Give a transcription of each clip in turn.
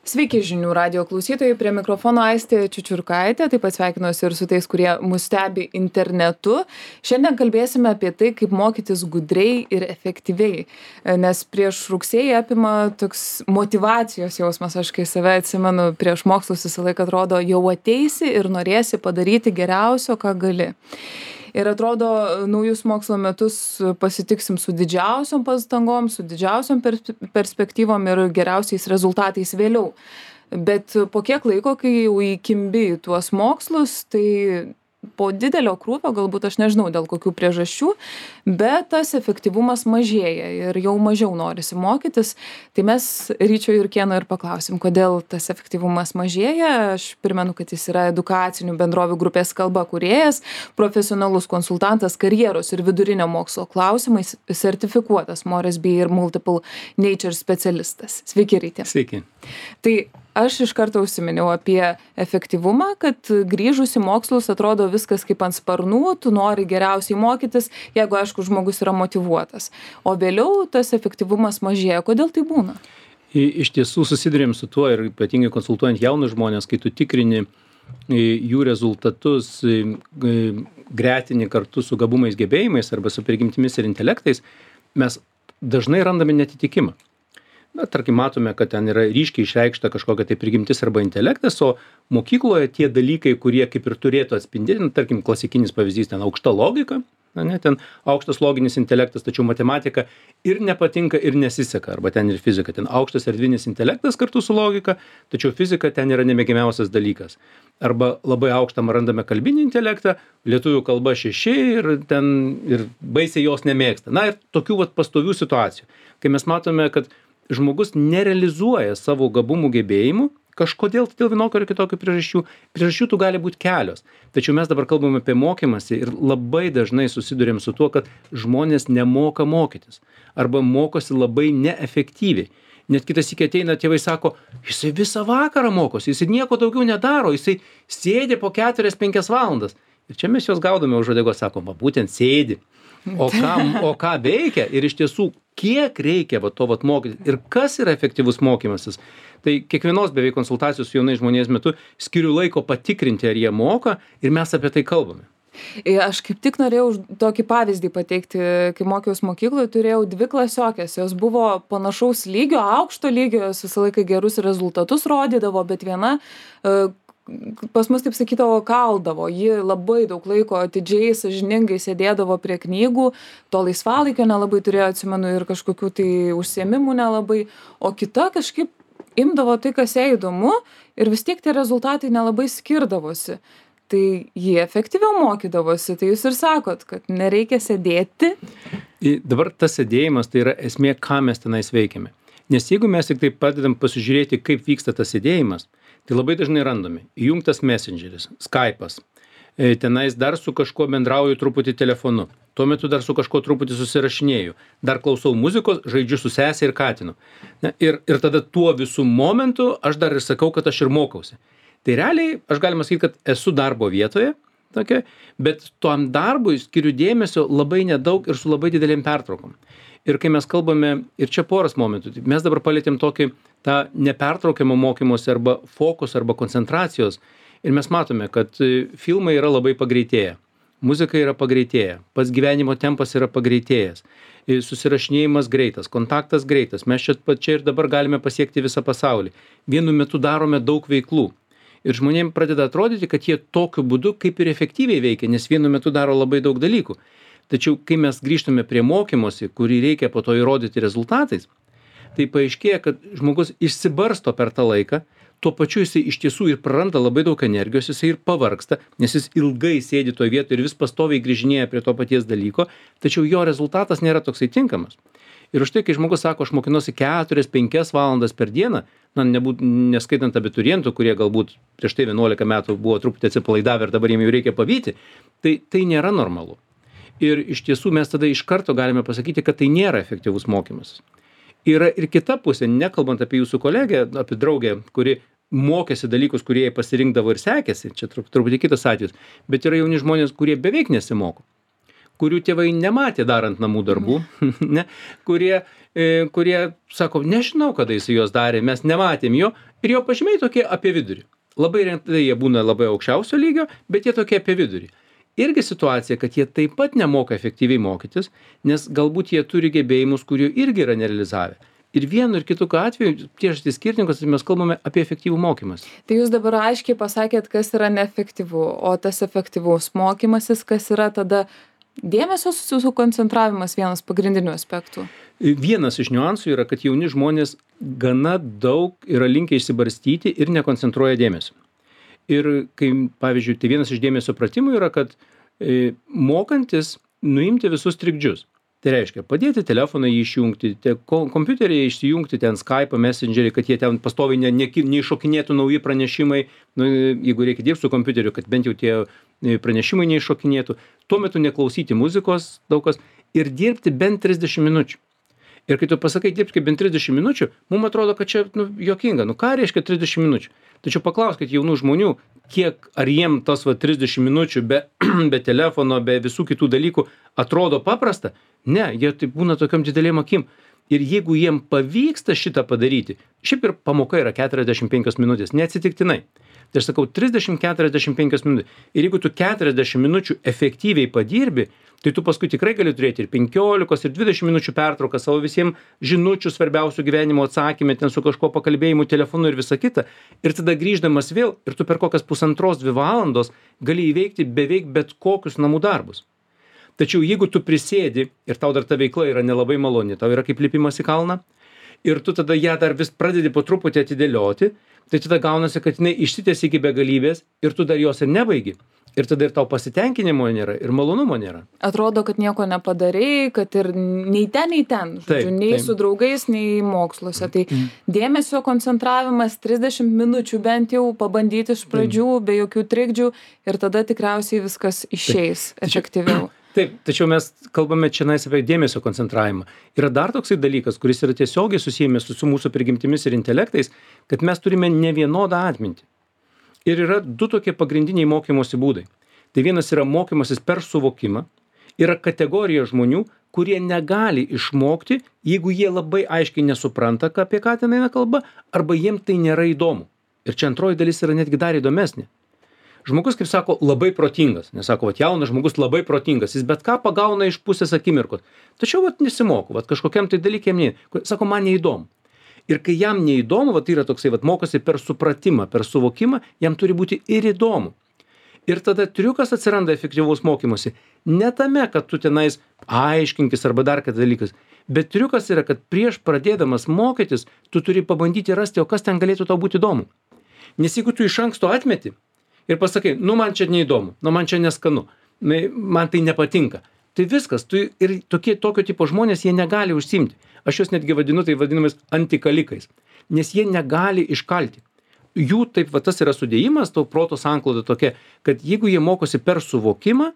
Sveiki žinių radijo klausytojai, prie mikrofono Aistė Čiučiurkaitė, taip pat sveikinuosi ir su tais, kurie mus stebi internetu. Šiandien kalbėsime apie tai, kaip mokytis gudriai ir efektyviai, nes prieš rugsėjį apima toks motyvacijos jausmas, aš kai save atsimenu prieš mokslus visą laiką atrodo, jau ateisi ir norėsi padaryti geriausio, ką gali. Ir atrodo, naujus mokslo metus pasitiksim su didžiausiom pastangom, su didžiausiom perspektyvom ir geriausiais rezultatais vėliau. Bet po kiek laiko, kai jau įkimbi į tuos mokslus, tai po didelio krūvio, galbūt aš nežinau dėl kokių priežasčių, bet tas efektyvumas mažėja ir jau mažiau norisi mokytis. Tai mes Ryčio Jurkėno ir paklausim, kodėl tas efektyvumas mažėja. Aš primenu, kad jis yra edukacinių bendrovių grupės kalba kūrėjas, profesionalus konsultantas karjeros ir vidurinio mokslo klausimais, sertifikuotas Moresby ir Multiple Nature specialistas. Sveiki, Rytė. Sveiki. Tai aš iš karto užsiminiau apie efektyvumą, kad grįžus į mokslus atrodo viskas kaip ant sparnų, tu nori geriausiai mokytis, jeigu aišku žmogus yra motyvuotas. O vėliau tas efektyvumas mažėja. Kodėl tai būna? Iš tiesų susidurėm su tuo ir ypatingai konsultuojant jaunus žmonės, kai tu tikrini jų rezultatus, gretini kartu su gabumais, gebėjimais arba su prigimtimis ir intelektais, mes dažnai randame netitikimą. Na, tarkim, matome, kad ten yra ryškiai išreikšta kažkokia tai prigimtis arba intelektas, o mokykloje tie dalykai, kurie kaip ir turėtų atspindėti, tarkim, klasikinis pavyzdys, ten aukšta logika, ten aukštas loginis intelektas, tačiau matematika ir nepatinka ir nesiseka, arba ten ir fizika, ten aukštas erdvinis intelektas kartu su logika, tačiau fizika ten yra nemėgiamiausias dalykas. Arba labai aukštą randame kalbinį intelektą, lietuvių kalba 6 ir baisiai jos nemėgsta. Na ir tokių pastovių situacijų, kai mes matome, kad žmogus nerealizuoja savo gabumų gebėjimų, kažkodėl dėl vienokio ar kitokio priežasčių. Priežasčių tų gali būti kelios. Tačiau mes dabar kalbame apie mokymąsi ir labai dažnai susidurėm su tuo, kad žmonės nemoka mokytis arba mokosi labai neefektyviai. Net kitas iki ateina, tėvai sako, jisai visą vakarą mokosi, jisai nieko daugiau nedaro, jisai sėdi po 4-5 valandas. Ir čia mes juos gaudome už uodegos, sakom, būtent sėdi. O ką veikia ir iš tiesų, kiek reikia to mokyti ir kas yra efektyvus mokymasis. Tai kiekvienos beveik konsultacijos su jaunais žmonės metu skiriu laiko patikrinti, ar jie moka ir mes apie tai kalbame. Aš kaip tik norėjau tokį pavyzdį pateikti, kai mokiaus mokykloje turėjau 2 klasiokės, jos buvo panašaus lygio, aukšto lygio, jos visą laiką gerus rezultatus rodydavo, bet viena pas mus, taip sakydavo, kaldavo. Ji labai daug laiko atidžiai, sąžiningai sėdėdavo prie knygų, to laisvalaikio nelabai turėjo, atsimenu, ir kažkokių tai užsiėmimų nelabai, o kita kažkaip imdavo tai, kas jai įdomu ir vis tiek tie rezultatai nelabai skirdavosi. Tai jie efektyviau mokydavosi, tai jūs ir sakot, kad nereikia sėdėti. Dabar tas sėdėjimas tai yra esmė, ką mes tenais veikiame. Nes jeigu mes tik taip padedam pasižiūrėti, kaip vyksta tas sėdėjimas, tai labai dažnai randame įjungtas Messengeris, Skype'as, tenais dar su kažkuo bendrauju truputį telefonu, tuo metu dar su kažkuo truputį susirašinėju, dar klausau muzikos, žaidžiu su sesė ir katinu. Ir tada tuo visų momentu aš dar ir sakau, kad aš ir mokausi. Tai realiai aš galima sakyti, kad esu darbo vietoje, bet tuom darbui skiriu dėmesio labai nedaug ir su labai didelėm pertraukom. Ir kai mes kalbame, ir čia poras momentų, mes dabar palėtėm tokį tą nepertraukiamą mokymosi arba fokus arba koncentracijos ir mes matome, kad filmai yra labai pagreitėję, muzika yra pagreitėję, pats gyvenimo tempas yra pagreitėjęs, susirašinėjimas greitas, kontaktas greitas, mes čia ir dabar galime pasiekti visą pasaulį. Vienu metu darome daug veiklų ir žmonėms pradeda atrodyti, kad jie tokiu būdu kaip ir efektyviai veikia, nes vienu metu daro labai daug dalykų. Tačiau, kai mes grįžtame prie mokymosi, kurį reikia po to įrodyti rezultatais, tai paaiškėja, kad žmogus išsibarsto per tą laiką, tuo pačiu jisai iš tiesų ir praranda labai daug energijos, jisai ir pavargsta, nes jis ilgai sėdi toje vietoje ir vis pastoviai grįžinėja prie to paties dalyko, tačiau jo rezultatas nėra toksai tinkamas. Ir už tai, kai žmogus sako, aš mokinuosi 4-5 valandas per dieną, neskaitant abiturientų, kurie galbūt prieš tai 11 metų buvo truputį atsipalaidavę ir dabar jiems jau reikia pavyti, tai nėra normalu. Ir iš tiesų mes tada iš karto galime pasakyti, kad tai nėra efektyvus mokymas. Yra ir kita pusė, nekalbant apie jūsų kolegę, apie draugę, kuri mokėsi dalykus, kurie jai pasirinkdavo ir sekėsi, čia truputį kitas atvejis, bet yra jauni žmonės, kurie beveik nesimoko, kurių tėvai nematė darant namų darbų, ne, kurie sako, nežinau, kada jis juos darė, mes nematėm jo, ir jo pažymiai tokie apie vidurį. Labai retai jie būna labai aukščiausio lygio, bet jie tokie apie vidurį. Irgi situacija, kad jie taip pat nemoka efektyviai mokytis, nes galbūt jie turi gebėjimus, kurių irgi yra nerealizavę. Ir vienu ir kitu atveju, priežastys skirtingos, mes kalbame apie efektyvų mokymąsi. Tai jūs dabar aiškiai pasakėt, kas yra neefektyvu, o tas efektyvus mokymasis, kas yra tada dėmesio sukoncentravimas, vienas pagrindinių aspektų. Vienas iš niuansų yra, kad jauni žmonės gana daug yra linkę išsibarstyti ir nekoncentruoja dėmesio. Ir kai, pavyzdžiui, tai vienas iš dėmesio pratimų yra, kad mokantis nuimti visus trikdžius. Tai reiškia, padėti telefoną jį išjungti, kompiuterį išsijungti, ten Skype, Messengerį, kad jie ten pastoviai neiššokinėtų nauji pranešimai, jeigu reikia dirbti su kompiuteriu, kad bent jau tie pranešimai neiššokinėtų, tuo metu neklausyti muzikos daug kas ir dirbti bent 30 minučių. Ir kai tu pasakai dirbti bent 30 minučių, mums atrodo, kad čia juokinga. Ką reiškia 30 minučių? Tačiau paklauskit jaunų žmonių, ar jiem tas 30 minučių be telefono, be visų kitų dalykų atrodo paprasta? Ne, jie taip būna tokiam didelėm akim. Ir jeigu jiem pavyksta šitą padaryti, šiaip ir pamoka yra 45 minutės, neatsitiktinai. Tai aš sakau 30-45 minutės. Ir jeigu tu 40 minučių efektyviai padirbi, tai tu paskui tikrai gali turėti ir 15, ir 20 minučių pertrauką savo visiems žinučių svarbiausių gyvenimo atsakymę, ten su kažkuo pakalbėjimu, telefonu ir visa kita. Ir tada grįždamas vėl, ir tu per kokias 1,5-2 valandos gali įveikti beveik bet kokius namų darbus. Tačiau jeigu tu prisėdi ir tau dar ta veikla yra nelabai maloni, tau yra kaip lipimas į kalną, ir tu tada ją dar vis pradedi po truputį atidėlioti, tai tada gaunasi, kad jinai išsitęsia iki begalybės ir tu dar jos ir nebaigi. Ir tada ir tau pasitenkinimo nėra, ir malonumo nėra. Atrodo, kad nieko nepadarei, kad ir nei ten, žodžiu, taip, nei su draugais, nei moksluose. Tai dėmesio koncentravimas 30 minučių bent jau pabandyti iš pradžių, be jokių trikdžių, ir tada tikriausiai viskas išeis efektyviau. Taip, tačiau mes kalbame čia apie dėmesio koncentravimą. Yra dar toksai dalykas, kuris yra tiesiogiai susijęs su mūsų prigimtimis ir intelektais, kad mes turime nevienodą atmintį. Ir yra du tokie pagrindiniai mokymosi būdai. Tai vienas yra mokymasis per suvokimą. Yra kategorija žmonių, kurie negali išmokti, jeigu jie labai aiškiai nesupranta, apie ką ten eina kalba, arba jiem tai nėra įdomu. Ir čia antroji dalis yra netgi dar įdomesnė. Žmogus, kaip sako, labai protingas. Nesako, jaunas žmogus labai protingas. Jis bet ką pagauna iš pusės akimirkos. Tačiau nesimoko, kažkokiam tai dalykėm ne. Sako, man neįdomu. Ir kai jam neįdomu, tai yra toksai, mokosi per supratimą, per suvokimą, jam turi būti ir įdomu. Ir tada triukas atsiranda efektyvaus mokymosi. Ne tame, kad tu tenais aiškinkis arba dar kad dalykas. Bet triukas yra, kad prieš pradėdamas mokytis, tu turi pabandyti rasti, o kas ten galėtų tau būti įdomu. Nes jeigu tu iš anksto atmeti ir pasakai, man čia neįdomu, man čia neskanu, man tai nepatinka, tai viskas, ir tokio tipo žmonės, jie negali užsiimti. Aš juos netgi vadinu, tai vadinamais antikalikais, nes jie negali iškalti. Jų taip, tas yra sudėjimas, to proto sankloda tokia, kad jeigu jie mokosi per suvokimą,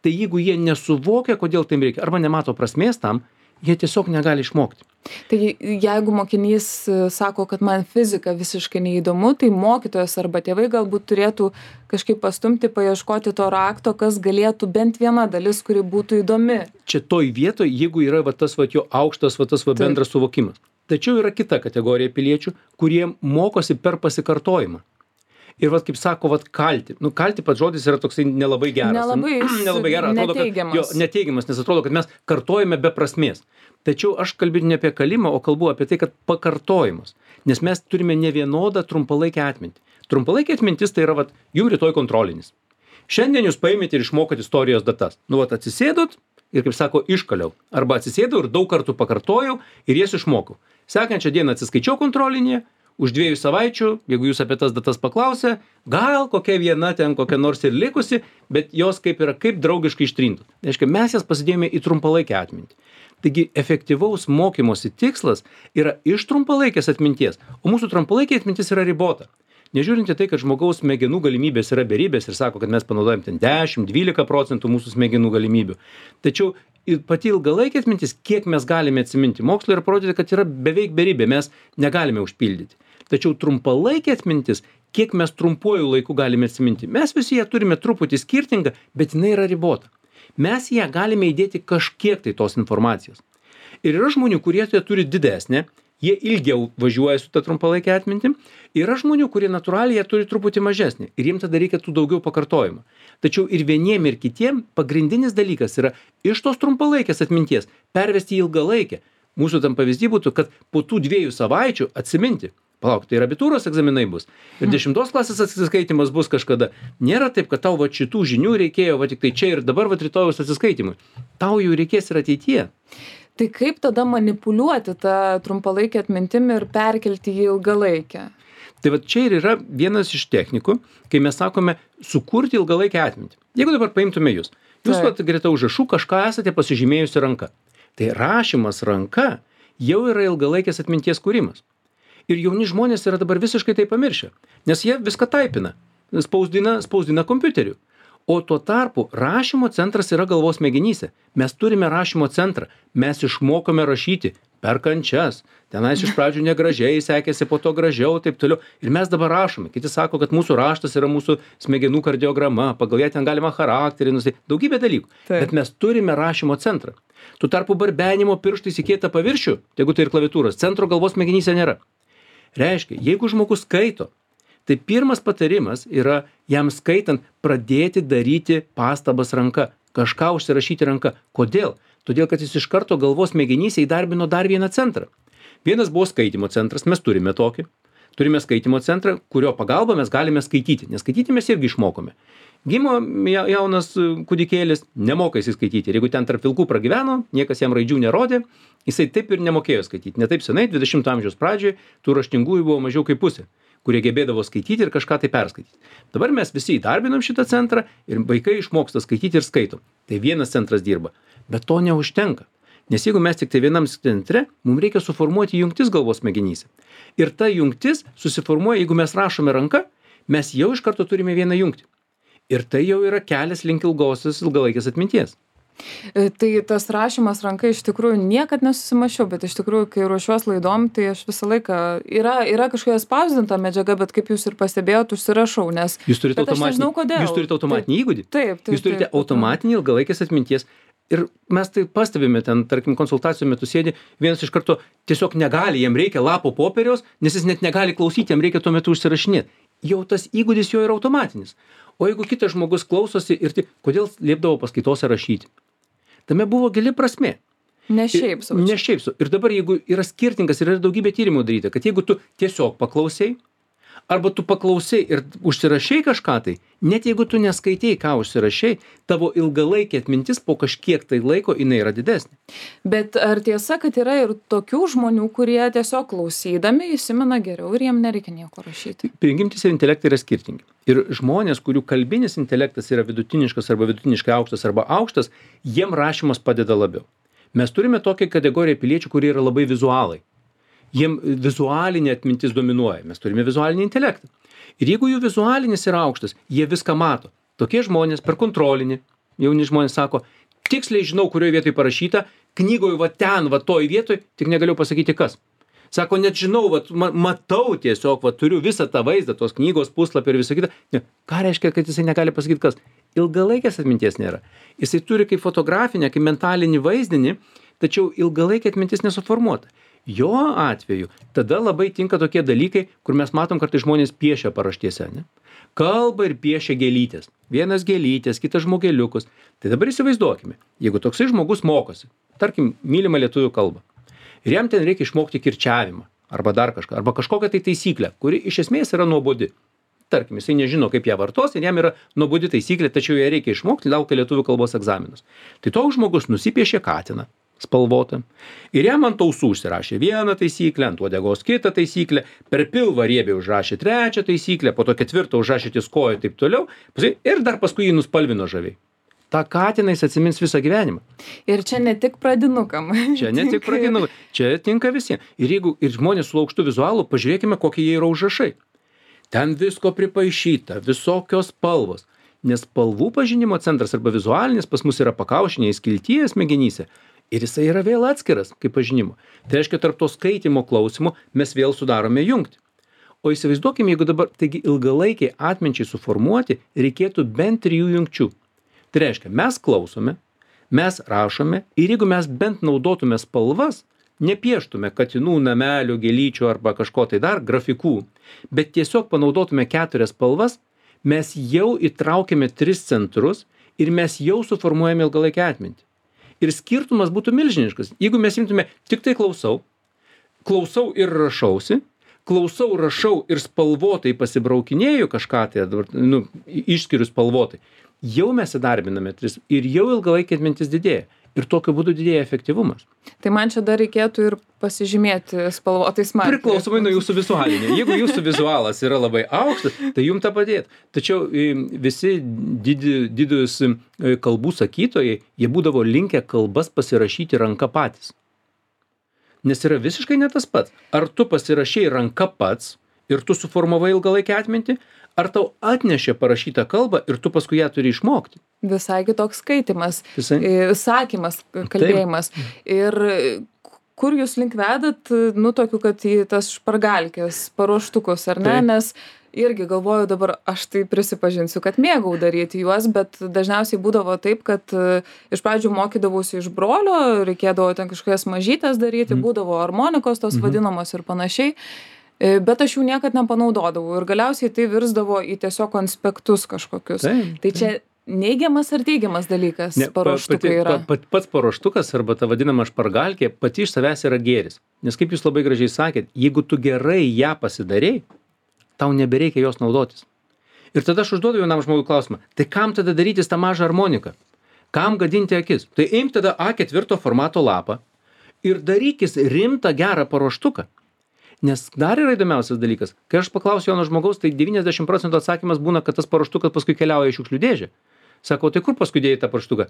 tai jeigu jie nesuvokia, kodėl tai reikia, arba nemato prasmės tam, jie tiesiog negali išmokti. Tai jeigu mokinys sako, kad man fizika visiškai neįdomu, tai mokytojas arba tėvai galbūt turėtų kažkaip pastumti, paieškoti to rakto, kas galėtų bent viena dalis, kuri būtų įdomi. Čia toj vietoj, jeigu yra tas jo aukštas, tas bendras suvokimas. Tačiau yra kita kategorija piliečių, kurie mokosi per pasikartojimą. Ir kaip sako, kalti. Kalti pats žodis yra toksai nelabai geras. Nelabai geras. Atrodo, neteigiamas. Neteigiamas, nes atrodo, kad mes kartojame be prasmės. Tačiau aš kalbėti ne apie kalimą, o kalbu apie tai, kad pakartojimas. Nes mes turime ne vienodą trumpalaikę atmintį. Trumpalaikė atmintis tai yra, jums rytoj kontrolinis. Šiandien jūs paimėte ir išmokot istorijos datas. Atsisėdot ir, kaip sako, iškaliau. Arba atsisėdau ir daug kartų pakartojau ir jas išmokau. Sekančią dieną atsiskaičiau kontrolinėje. Už 2 savaičių, jeigu jūs apie tas datas paklausė, gal kokia viena ten kokia nors ir likusi, bet jos kaip draugiškai ištrintos. Tai reiškia, mes jas pasidėjome į trumpalaikę atmintį. Taigi efektyvaus mokymosi tikslas yra iš trumpalaikės atminties, o mūsų trumpalaikė atmintis yra ribota. Nežiūrint į tai, kad žmogaus smegenų galimybės yra beribės ir sako, kad mes panaudojam ten 10-12% mūsų smegenų galimybių. Tačiau pati ilgalaikė atmintis, kiek mes galime atsiminti, mokslo yra parodyti, kad yra beveik beribė, mes negalime užpildyti. Tačiau trumpalaikė atmintis, kiek mes trumpuoju laiku galime atsiminti. Mes visi ją turime truputį skirtingą, bet jinai yra ribota. Mes į ją galime įdėti kažkiek tai tos informacijos. Ir yra žmonių, kurie tai turi didesnę, jie ilgiau važiuoja su ta trumpalaikė atmintim. Yra žmonių, kurie natūraliai jie turi truputį mažesnį ir jiems tada reikia tų daugiau pakartojimų. Tačiau ir vieniem ir kitiem pagrindinis dalykas yra iš tos trumpalaikės atminties pervesti į ilgalaikę. Mūsų tam pavyzdys būtų, kad po tų 2 savaičių atsiminti. Palauk, tai ir abitūros egzaminai bus. Ir 10 klasės atsiskaitimas bus kažkada. Nėra taip, kad tau va šitų žinių reikėjo va tik tai čia ir dabar va rytojaus atsiskaitimui. Tau jų reikės ir ateityje. Tai kaip tada manipuliuoti tą trumpalaikę atmintimį ir perkelti į ilgalaikę? Tai va čia ir yra vienas iš technikų, kai mes sakome sukurti ilgalaikę atmintį. Jeigu dabar paimtume jūs va greta užrašų kažką esate pasižymėjusi ranka. Tai rašymas ranka jau yra ilgalaikės atminties kūrimas. Ir jauni žmonės yra dabar visiškai tai pamiršę, nes jie viską taipina, spausdina kompiuteriu. O tuo tarpu rašymo centras yra galvos smegenyse. Mes turime rašymo centrą, mes išmokome rašyti per kančias. Tenais iš pradžių negražiai sekėsi, po to gražiau, taip toliau. Ir mes dabar rašome. Kiti sako, kad mūsų raštas yra mūsų smegenų kardiograma, pagal ją ten galima charakterį nustatyti, daugybė dalykų. Taip. Bet mes turime rašymo centrą. Tuo tarpu barbenimo pirštais į kietą paviršių, jeigu tai ir klaviatūros, centro galvos smegenyse nėra. Reiškia, jeigu žmogus skaito, tai pirmas patarimas yra jam skaitant pradėti daryti pastabas ranka, kažką užsirašyti ranka. Kodėl? Todėl, kad jis iš karto galvos smegenyse įdarbino dar vieną centrą. Vienas buvo skaitymo centras, mes turime tokį. Turime skaitymo centrą, kurio pagalba mes galime skaityti, nes skaityti mes irgi išmokome. Gimo jaunas kūdikėlis, nemoka jis skaityti. Ir jeigu ten tarp vilkų pragyveno, niekas jam raidžių nerodė, jisai taip ir nemokėjo skaityti. Ne taip senai, 20 amžiaus pradžioje, tų raštingųjų buvo mažiau kaip pusė, kurie gebėdavo skaityti ir kažką tai perskaityti. Dabar mes visi įdarbinam šitą centrą ir vaikai išmoksta skaityti ir skaito. Tai vienas centras dirba, bet to neužtenka. Nes jeigu mes tik tai vienam centre, mums reikia suformuoti jungtis galvos smegenyse. Ir ta jungtis susiformuoja, jeigu mes rašome ranka, mes jau iš karto turime vieną jungtį. Ir tai jau yra kelias link ilgalaikės atminties. Tai tas rašymas ranka iš tikrųjų niekad nesusimašiau, bet iš tikrųjų, kai ruošiuos laidom, tai aš visą laiką, yra kažkokia spausdinta medžiaga, bet kaip jūs ir pastebėjot, užsirašau, nes Jūs turite automatinį įgūdį. Taip. Jūs turite automatinį ilgalaikės atminties. Ir mes tai pastebime ten, tarkim, konsultacijų metu sėdi, vienas iš karto tiesiog negali, jam reikia lapo popieriaus, nes jis net negali klausyti, jam reikia tuo metu užsirašinėti. Jau tas įgūdis jo yra automatinis. O jeigu kitas žmogus klausosi ir tik, kodėl liepdavo paskaitose rašyti? Tame buvo gili prasmė. Ne šiaip sau. Ne šiaip sau. Ir dabar, jeigu yra skirtingas ir yra daugybė tyrimų daryta, kad jeigu tu tiesiog paklausai, arba tu paklausai ir užsirašai kažką tai, net jeigu tu neskaitei, ką užsirašai, tavo ilgalaikė atmintis po kažkiek tai laiko jinai yra didesnė. Bet ar tiesa, kad yra ir tokių žmonių, kurie tiesiog klausydami įsimena geriau ir jiem nereikia nieko rašyti? Prigimtis ir intelektai yra skirtingi. Ir žmonės, kurių kalbinis intelektas yra vidutiniškas arba vidutiniškai aukštas arba aukštas, jiem rašymas padeda labiau. Mes turime tokią kategoriją piliečių, kurie yra labai vizualai. Jiem vizualinė atmintis dominuoja. Mes turime vizualinį intelektą. Ir jeigu jų vizualinis yra aukštas, jie viską mato. Tokie žmonės per kontrolinį, jauni žmonės sako, tiksliai žinau, kurioje vietoje parašyta, knygoje va ten, va toj vietoj, tik negaliu pasakyti kas. Sako, net žinau, va, matau tiesiog, va, turiu visą tą vaizdą, tos knygos puslapį ir visą kitą. Ne, ką reiškia, kad jisai negali pasakyti kas? Ilgalaikės atminties nėra. Jisai turi kaip fotografinę, kaip mentalinį vaizdinį, tačiau ilgalaikė atmintis nesuformuota. Jo atveju tada labai tinka tokie dalykai, kur mes matom, kartais žmonės piešia paraštėse, ne? Kalba ir piešia gėlytės. Vienas gėlytės, kitas žmogeliukus. Tai dabar įsivaizduokime, jeigu toksai žmogus mokosi, tarkim, mylimą lietuvių kalbą, ir jam ten reikia išmokti kirčiavimą, arba dar kažką, arba kažkokią tai taisyklę, kuri iš esmės yra nuobodi. Tarkim, jisai nežino, kaip ją vartos ir jam yra nuobodi taisyklė, tačiau ją reikia išmokti, laukia lietuvių kalbos egzaminus. Tai toks žmogus nusipiešė katiną spalvotą. Ir jam ant ausų užsirašė vieną taisyklę, ant uodegos kitą taisyklę, per pilvą riebiai užrašė trečią taisyklę, po to ketvirtą užrašė ties koją ir taip toliau, ir dar paskui jį nuspalvino žaviai. Ta katiną jis atsimins visą gyvenimą. Ir čia ne tik pradinukam. Čia ne tik pradinukam, čia tinka visiems. Ir jeigu ir žmonės su aukštu vizualu, pažiūrėkime, kokie jie yra užrašai. Ten visko pripaišyta, visokios spalvos. Nes spalvų pažinimo centras arba vizualinis pas mus yra pakaušinėje skiltyje smegenyse. Ir jisai yra vėl atskiras kaip pažinimo. Tai reiškia, tarp to skaitimo klausimo mes vėl sudarome jungtį. O įsivaizduokime, jeigu dabar, taigi ilgalaikiai atminčiai suformuoti, reikėtų bent 3 jungčių. Tai reiškia, mes klausome, mes rašome ir jeigu mes bent naudotume spalvas, nepieštume katinų, namelių, gėlyčių arba kažko tai dar, grafikų, bet tiesiog panaudotume 4 spalvas, mes jau įtraukėme 3 centrus ir mes jau suformuojame ilgalaikę atmintį. Ir skirtumas būtų milžiniškas. Jeigu mes imtume tik tai klausau ir rašausi, klausau, rašau ir spalvotai pasibraukinėju kažką tai, išskiriu spalvotai, jau mes įdarbiname 3 ir jau ilgalaikė atmintis didėja. Ir tokiu būdu didėja efektyvumas. Tai man čia dar reikėtų ir pasižymėti spalvotais markeriais. Priklausomai nuo jūsų vizualinio. Jeigu jūsų vizualas yra labai aukštas, tai jums tą padėtų. Tačiau visi didūs kalbų sakytojai, jie būdavo linkę kalbas pasirašyti ranka patys. Nes yra visiškai ne tas pats. Ar tu pasirašei ranka pats ir tu suformavai ilgalaikę atmintį, ar tau atnešė parašytą kalbą ir tu paskui ją turi išmokti. Visai kitoks skaitimas, sakymas, kalbėjimas. Taip. Ir kur jūs link vedat, tokiu, kad į tas špargalkės paruoštukus, ar ne? Taip. Nes irgi galvoju dabar, aš tai prisipažinsiu, kad mėgau daryti juos, bet dažniausiai būdavo taip, kad iš pradžių mokydavausi iš brolio, reikėdavo ten kažkokias mažytės daryti, būdavo harmonikos tos vadinamos ir panašiai. Bet aš jų niekad nepanaudodavau ir galiausiai tai virsdavo į tiesiog konspektus kažkokius. Tai čia neigiamas ar teigiamas dalykas paruoštukai yra? Pats paruoštukas arba ta vadinama špargalkė pati iš savęs yra gėris. Nes kaip jūs labai gražiai sakėt, jeigu tu gerai ją pasidarei, tau nebereikia jos naudotis. Ir tada aš užduodu jaunam žmogui klausimą, tai kam tada darytis tą mažą harmoniką? Kam gadinti akis? Tai imk tada A4 formato lapą ir darykis rimtą gerą paruoštuką. Nes dar yra įdomiausias dalykas, kai aš paklausiu jauno žmogaus, tai 90% atsakymas būna, kad tas paruoštukas paskui keliauja į šiukšlių dėžę. Sako, tai kur paskui dėjai tą paruoštuką?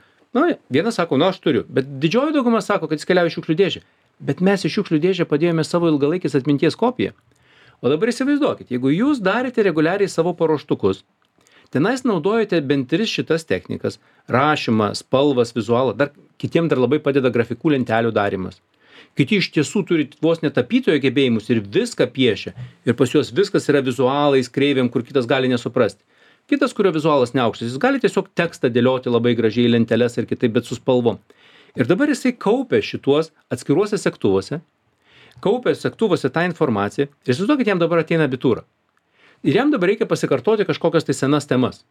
Vienas sako, aš turiu, bet didžioji dauguma sako, kad jis keliauja į šiukšlių dėžę. Bet mes į šiukšlių dėžę padėjome savo ilgalaikės atminties kopiją. O dabar įsivaizduokit, jeigu jūs darėte reguliariai savo paruoštukus, tenais naudojate bent 3 šitas technikas – rašymą, spalvas, vizualą, kitiem dar labai padeda grafikų lentelių darymas. Kiti iš tiesų turi vos netapytojo gebėjimus ir viską piešia. Ir pas juos viskas yra vizualais, kreivėm, kur kitas gali nesuprasti. Kitas, kurio vizualas neaukštas, jis gali tiesiog tekstą dėlioti labai gražiai lenteles ir kitaip, bet su spalvom. Ir dabar jisai kaupia šituos atskiruose segtuvuose, kaupia segtuvuose tą informaciją ir įsivaizduokit, jam dabar ateina abitūra. Ir jam dabar reikia pasikartoti kažkokias tai senas temas.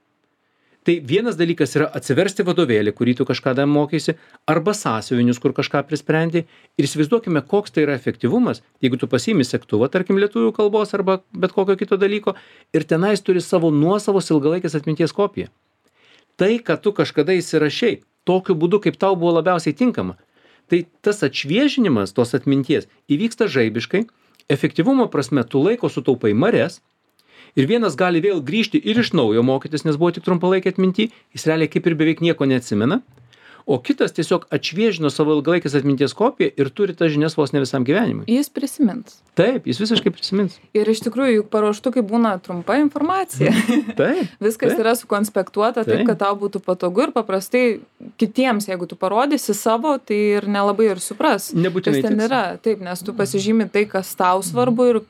Tai vienas dalykas yra atsiversti vadovėlį, kurį tu kažkada mokysi, arba sąsiuvinius, kur kažką prisprendi. Ir įsivaizduokime, koks tai yra efektyvumas, jeigu tu pasiimi segtuvą, tarkim, lietuvių kalbos arba bet kokio kito dalyko, ir tenais turi savo nuosavos ilgalaikės atminties kopiją. Tai, kad tu kažkada įsirašei, tokiu būdu, kaip tau buvo labiausiai tinkama, tai tas atšviežinimas tos atminties įvyksta žaibiškai, efektyvumo prasme tu laiko sutaupai mares, ir vienas gali vėl grįžti ir iš naujo mokytis, nes buvo tik trumpalaikė atminty, jis realiai kaip ir beveik nieko neatsimena, o kitas tiesiog atšviežino savo ilgalaikės atminties kopiją ir turi tas žinias vos ne visam gyvenimui. Jis prisimins. Taip, jis visiškai prisimins. Ir iš tikrųjų, juk paruoštukai būna trumpa informacija. Taip. Viskas yra sukonspektuota taip, kad tau būtų patogu ir paprastai kitiems, jeigu tu parodysi savo, tai ir nelabai ir supras, nebūtinai kas ten yra. Taip, nes tu pasižymi tai, kas tau svarbu ir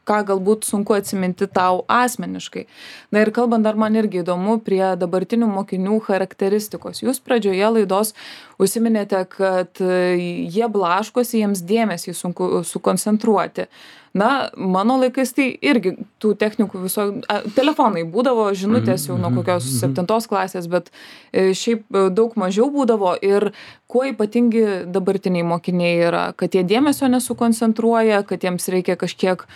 ką galbūt sunku atsiminti tau asmeniškai. Na ir kalbant dar man irgi įdomu prie dabartinių mokinių charakteristikos. Jūs pradžioje laidos užsiminėte, kad jie blaškosi, jiems dėmesį sunku sukoncentruoti. Na, mano laikais tai irgi tų technikų telefonai būdavo, žinutės jau nuo kokios 7 klasės, bet šiaip daug mažiau būdavo. Ir kuo ypatingi dabartiniai mokiniai yra, kad jie dėmesio nesukoncentruoja, kad jiems reikia kažkiek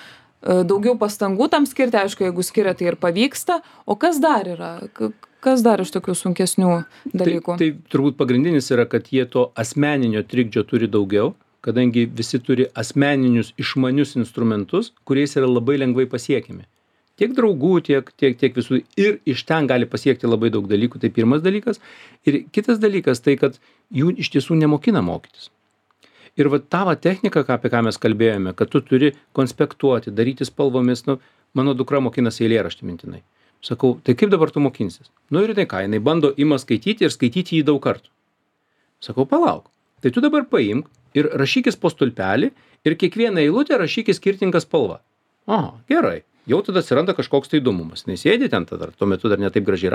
daugiau pastangų tam skirti, aišku, jeigu skiria, tai ir pavyksta. O kas dar yra? Kas dar iš tokių sunkesnių dalykų? Tai turbūt pagrindinis yra, kad jie to asmeninio trikdžio turi daugiau, kadangi visi turi asmeninius išmanius instrumentus, kuriais yra labai lengvai pasiekiami. Tiek draugų, tiek visų. Ir iš ten gali pasiekti labai daug dalykų. Tai pirmas dalykas. Ir kitas dalykas tai, kad jų iš tiesų nemokina mokytis. Ir va tavo technika, apie ką mes kalbėjome, kad tu turi konspektuoti, daryti spalvomis, mano dukra mokinasi eilėraštį mintinai. Sakau, tai kaip dabar tu mokinsis? Ir tai ką, jinai bando ima skaityti ir skaityti jį daug kartų. Sakau, palauk, tai tu dabar paimk ir rašykis po stulpelį ir kiekvieną eilutę rašykis skirtingą spalvą. Aha, gerai, jau tada atsiranda kažkoks tai įdomumas. Nesėdi ten tada, tuo metu dar netaip gražiai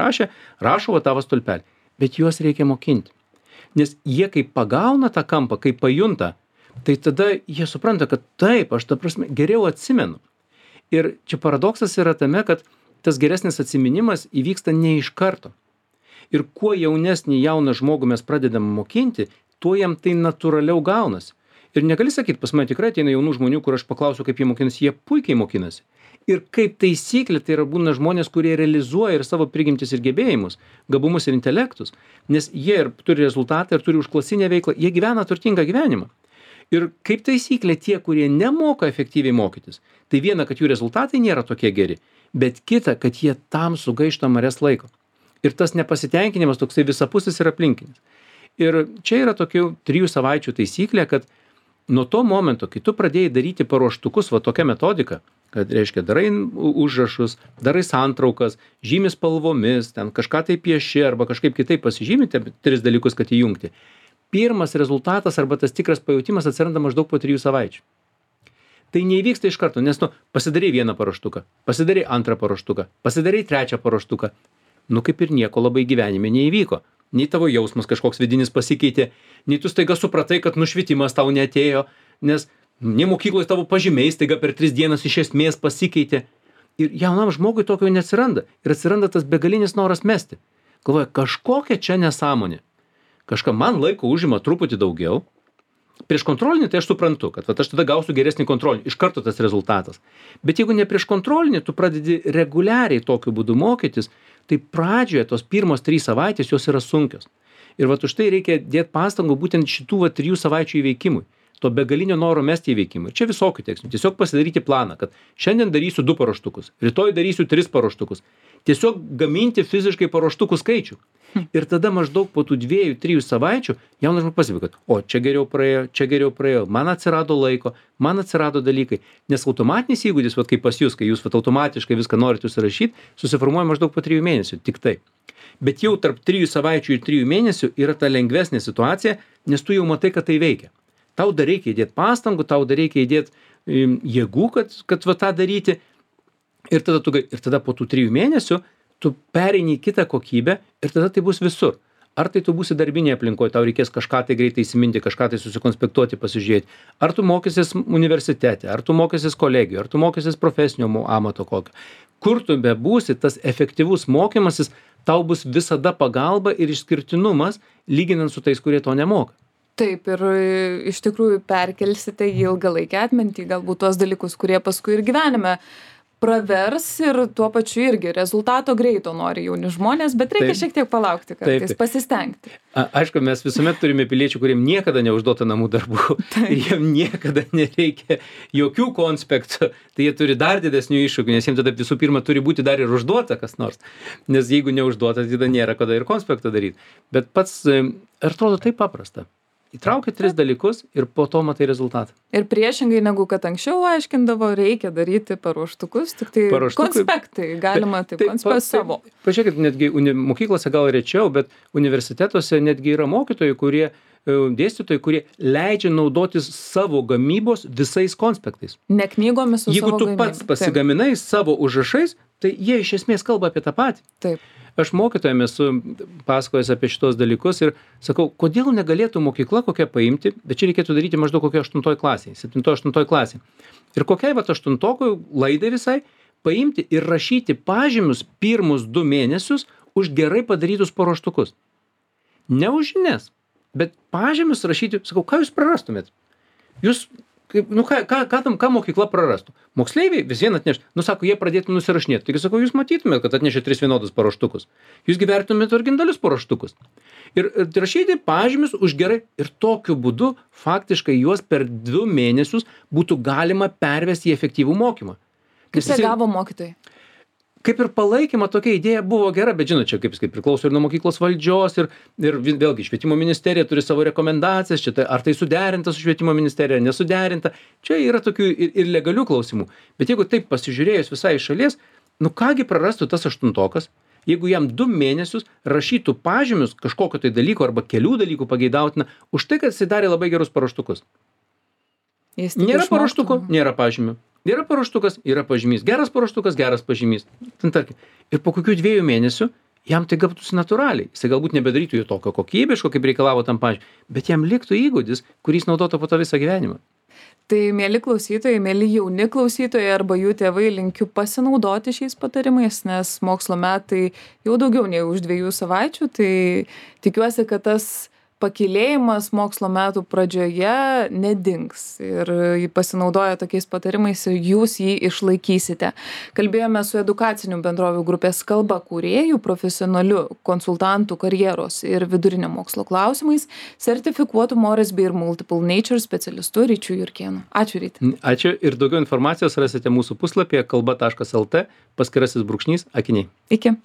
rašo va tavo stulpelį. bet juos reikia mokinti. Nes jie kai pagauna tą kampą, kai pajunta, tai tada jie supranta, kad taip, aš ta prasme geriau atsimenu. Ir čia paradoksas yra tame, kad tas geresnis atsiminimas įvyksta ne iš karto. Ir kuo jaunesnį jauną žmogų mes pradedam mokinti, tuo jam tai natūraliau gaunasi. Ir negali sakyti, pas mane tikrai ateina jaunų žmonių, kur aš paklausiu, kaip jie mokinasi, jie puikiai mokinasi. Ir kaip taisyklė, tai yra būna žmonės, kurie realizuoja ir savo prigimtis ir gebėjimus, gabumus ir intelektus, nes jie ir turi rezultatą, ir turi užklasinę veiklą, jie gyvena turtingą gyvenimą. Ir kaip taisyklė, tie, kurie nemoka efektyviai mokytis, tai viena, kad jų rezultatai nėra tokie geri, bet kita, kad jie tam sugaišta mares laiko. Ir tas nepasitenkinimas toksai visapusis ir aplinkinis. Ir čia yra tokių 3 savaičių taisyklė, kad nuo to momento, kai tu pradėjai daryti paruoštukus, va tokia metodika, kad reiškia, darai užrašus, darai santraukas, žymi spalvomis, ten kažką tai pieši arba kažkaip kitaip pasižymi, 3 dalykus, kad įjungti. Pirmas rezultatas arba tas tikras pajutimas atsiranda maždaug po 3 savaičių. Tai neįvyksta iš karto, nes pasidarai vieną paruoštuką, pasidarai antrą paruoštuką, pasidarai trečią paruoštuką. Kaip ir nieko labai gyvenime neįvyko. Nei tavo jausmas kažkoks vidinis pasikeitė, nei tu staiga supratai, kad nušvitimas tau neatėjo, nes nei mokykloje tavo pažymiai staiga per 3 dienas iš esmės pasikeitė. Ir jaunam žmogui tokio neatsiranda. Ir atsiranda tas begalinis noras mesti. Galvoja, kažkokia čia nesąmonė. Kažką man laiko užima truputį daugiau. Prieš kontrolinį tai aš suprantu, kad aš tada gausiu geresnį kontrolinį. Iš karto tas rezultatas. Bet jeigu ne prieš kontrolinį, tu pradedi reguliariai tokiu būdu mokytis, tai pradžioje tos pirmos 3 savaitės jos yra sunkios. Ir už tai reikia dėti pastangų būtent šitų 3 savaičių įveikimui. To begalinio noro mesti įveikimui. Čia visokių tekstų. Tiesiog pasidaryti planą, kad šiandien darysiu 2 paruoštukus, rytoj darysiu 3 paruoštukus. Tiesiog gaminti fiziškai paruoštukų skaičių. Ir tada maždaug po tų 2-3 savaičių jaunas žmogus pasibėga, kad čia geriau praėjo, man atsirado laiko, man atsirado dalykai. Nes automatinis įgūdis, kaip pas jūs, kai jūs automatiškai viską norite užsirašyti, susiformuoja maždaug po 3 mėnesių. Tik tai. Bet jau tarp 3 savaičių ir 3 mėnesių yra ta lengvesnė situacija, nes tu jau matai, kad tai veikia. Tau dar reikia įdėti pastangų, tau dar reikia įdėti jėgų, kad tą daryti. Ir tada po tų 3 mėnesių tu pereini į kitą kokybę ir tada tai bus visur. Ar tai tu būsi darbinėje aplinkoje, tau reikės kažką tai greitai įsiminti, kažką tai susikonspektuoti, pasižiūrėti. Ar tu mokysis universitete, ar tu mokysis kolegijoje, ar tu mokysis profesinio amato kokio. Kur tu bebūsi, tas efektyvus mokymasis tau bus visada pagalba ir išskirtinumas, lyginant su tais, kurie to nemoka. Taip, ir iš tikrųjų perkelsite į ilgalaikę atmintį galbūt tuos dalykus, kurie paskui ir gyvenime pravers ir tuo pačiu irgi rezultato greito nori jauni žmonės, bet reikia šiek tiek palaukti kartais, pasistengti. Aišku, mes visuomet turime piliečių, kuriem niekada neužduota namų darbų ir jiem niekada nereikia jokių konspektų, tai jie turi dar didesnių iššūkių, nes jiems tada visų pirma turi būti dar ir užduota kas nors, nes jeigu neužduota, tada nėra kada ir konspektą daryti. Bet pats atrodo taip paprasta. Įtraukia 3 dalykus ir po to matai rezultatą. Ir priešingai negu kad anksčiau aiškindavo, reikia daryti paruoštukus, tik tai konspektai, galima taip konspektai savo. Pažiūrėkit, netgi mokyklose gal rečiau, bet universitetuose netgi yra mokytojai, dėstytojai, kurie leidžia naudotis savo gamybos visais konspektais. Ne knygomis, su jeigu savo tu pats pasigaminai savo užrašais, tai jie iš esmės kalba apie tą patį. Taip. Aš mokytojam esu pasakojęs apie šitos dalykus ir sakau, kodėl negalėtų mokykla kokia paimti, bet čia reikėtų daryti maždaug kokią 8 klasėje, 7-8 klasėje. Ir kokiai 8-okui laidai visai paimti ir rašyti pažymius pirmus 2 mėnesius už gerai padarytus paruoštukus. Ne už žinias, bet pažymius rašyti, sakau, ką jūs prarastumėt? Jūs, ką mokykla prarastų? Moksleiviai vis vien atneš, sako, jie pradėtų nusirašinėti. Taigi, sakau, jūs matytumėt, kad atnešė 3 vienodus paruoštukus. Jūs gyvertumėt originalius paruoštukus. Ir rašyti pažymius už gerai ir tokiu būdu faktiškai juos per 2 mėnesius būtų galima pervesti į efektyvų mokymą. Kaip reagavo mokytojai? Kaip ir palaikyma tokia idėja buvo gera, bet žinot, čia kaip priklauso ir nuo mokyklos valdžios ir vėlgi švietimo ministerija turi savo rekomendacijas, ar tai suderinta su švietimo ministerija, nesuderinta. Čia yra tokių ir legalių klausimų. Bet jeigu taip pasižiūrėjus visai iš šalies, kągi prarastų tas 8-okas, jeigu jam 2 mėnesius rašytų pažymius kažkokio tai dalyko arba kelių dalykų pageidautina už tai, kad jis darė labai gerus paruoštukus. Nėra paruoštuko, nėra pažymių. Yra paruoštukas, yra pažymys. Geras paruoštukas, geras pažymys. Ir po kokių 2 mėnesių jam tai gautųsi natūraliai. Jis galbūt nebedarytų jo tokio kokybiško, kaip reikalavo tam pačiu, bet jam liktų įgūdis, kurį jis naudotų po to visą gyvenimą. Tai mieli klausytojai, mieli jauni klausytojai arba jų tėvai, linkiu pasinaudoti šiais patarimais, nes mokslo metai jau daugiau nei už 2 savaičių, tai tikiuosi, kad tas pakylėjimas mokslo metų pradžioje nedings ir pasinaudoję tokiais patarimais jūs jį išlaikysite. Kalbėjome su edukacinių bendrovių grupės Kalba kūrėjų, profesionaliu konsultantų karjeros ir vidurinio mokslo klausimais, sertifikuotų Moresby ir Multiple Nature specialistu Ryčiu Jurkėnu. Ačiū, Ryti. Ačiū ir daugiau informacijos rasite mūsų puslapyje kalba.lt /akiniai. Iki.